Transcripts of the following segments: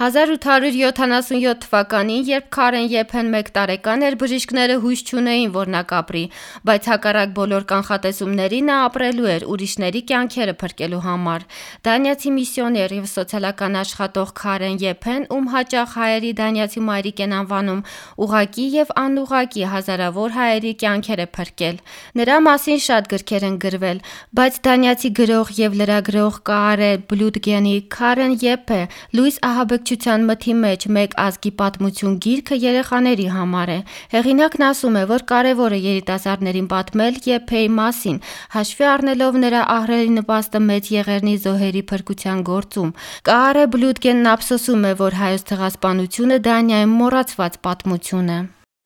1877 թվականին, երբ Քարեն Եփեն 1 տարեկան էր, բժիշկները հույս չունեին, որ նա կապրի, բայց հակառակ բոլոր կանխատեսումների նա ապրելու էր ուրիշների կյանքերը փրկելու համար։ Դանիացի միսիոներ եւ սոցիալական աշխատող Քարեն Եփեն, ում հաճախ հայերի դանիացի մայրիկ են անվանում, ուղղակի եւ անուղղակի հազարավոր հայերի կյանքեր է փրկել։ Նրա մասին շատ գրքեր են գրվել, բայց դանիացի գրող եւ լրագրող Կարե Բլուտգենի Քարեն Եփե լույս ահաբեկչության մթի մեջ մեկ ազգի պատմություն գիրքը երեխաների համար է։ Հեղինակն ասում է, որ կարևոր է երիտասարդներին պատմել Եփեի մասին, հաշվի առնելով նրա ահռելի նպաստը մեծ եղերնի զոհերի փրկության գործում։ Կարե Բլուտգենն ափսոսում է, որ հայոց ցեղասպանությունը Դանիայում մոռացված պատմություն է։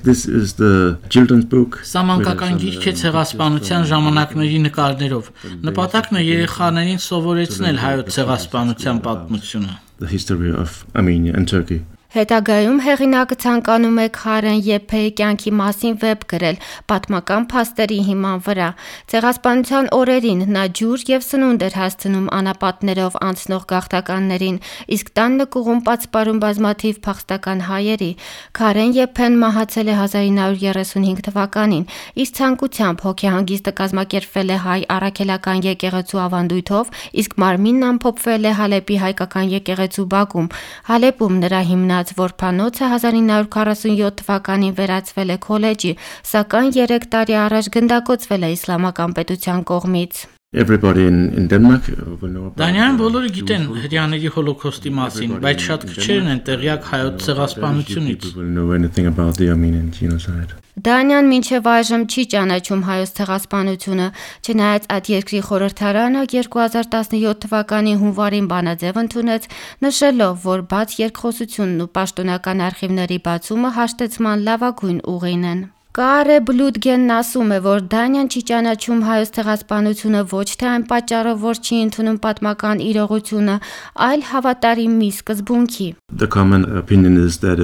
This is the children's book. Սա մանկական գիրք է ցեղասպանության ժամանակների նկարներով։ Նպատակն է երեխաներին սովորեցնել հայոց ցեղասպանության պատմությունը։ The history of Armenia and Turkey. Հետագայում հեղինակը ցանկանում է Քարեն Եփեի կյանքի մասին վեպ գրել պատմական փաստերի հիման վրա։ Ցեղասպանության օրերին նա ջուր եւ սնունդ էր հասցնում անապատներով անցնող գաղթականներին, իսկ տան նկուղում պատսպարում բազմաթիվ փախստական հայերի։ Քարեն Եփեն մահացել է 1935 թվականին։ Իր ցանկությամբ հոգեհանգիստը կազմակերպվել է հայ առաքելական եկեղեցու ավանդույթով, իսկ մարմինն ամփոփվել է Հալեպի հայկական եկեղեցու բակում։ Հալեպում նրա Որփանոցը 1947 թվականին վերածվել է քոլեջի, սակայն 3 տարի առաջ գնդակոծվել է իսլամական պետության կողմից։ Everybody in Denmark will know about. Դանիայում բոլորը գիտեն հրեաների հոլոկոստի մասին, բայց շատ քչերն են տեղյակ հայոց ցեղասպանությունից։ People know anything about the Armenian genocide. Դանիան մինչև այժմ չի ճանաչում հայոց ցեղասպանությունը, չնայած այդ երկրի խորհրդարանը 2017 թվականի հունվարին բանաձև ընդունեց, նշելով, որ բաց երկխոսությունն ու պաշտոնական արխիվների բացումը հաշտեցման լավագույն ուղին են։ Կարե Բլուտգենն ասում է, որ Դանիան չի ճանաչում հայոց ցեղասպանությունը ոչ թե այն պատճառով, որ չի ընդունում պատմական իրողությունը, այլ հավատարիմի սկզբունքի։ The common opinion is that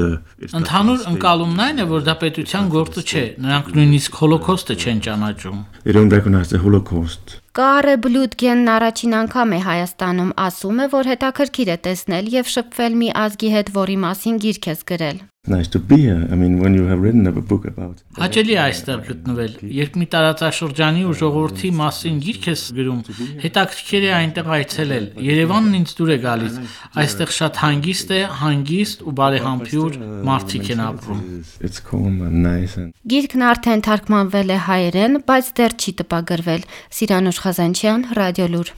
Ընդհանուր ընկալումն այն է, որ դա պետության գործը չէ, նրանք նույնիսկ հոլոկոստը չեն ճանաչում։ they don't recognize the Holocaust. Կարե Բլուտգենն առաջին անգամ է Հայաստանում, ասում է, որ հետաքրքիր է տեսնել եւ շփվել մի ազգի հետ, որի մասին գիրք ես գրել։ Nice to be here. I mean, when you have written a book about. Հաճելի է այստեղ գտնվել։ Երբ մի տարածաշրջանի ու ժողովրդի մասին գիրք ես գրում, հետաքրքիր է այնտեղ այցելել։ Երևանն ինձ դուր է գալիս։ Այստեղ շատ հանգիստ է, հանգիստ ու բարեհամբույր մարդիկ են ապրում։ It's calm and nice and. Գիրքն արդեն թարգմանվել է հայերեն, բայց դեռ չի տպագրվել։ Սիրանուշ Խազանչյան, Ռադիոլուր։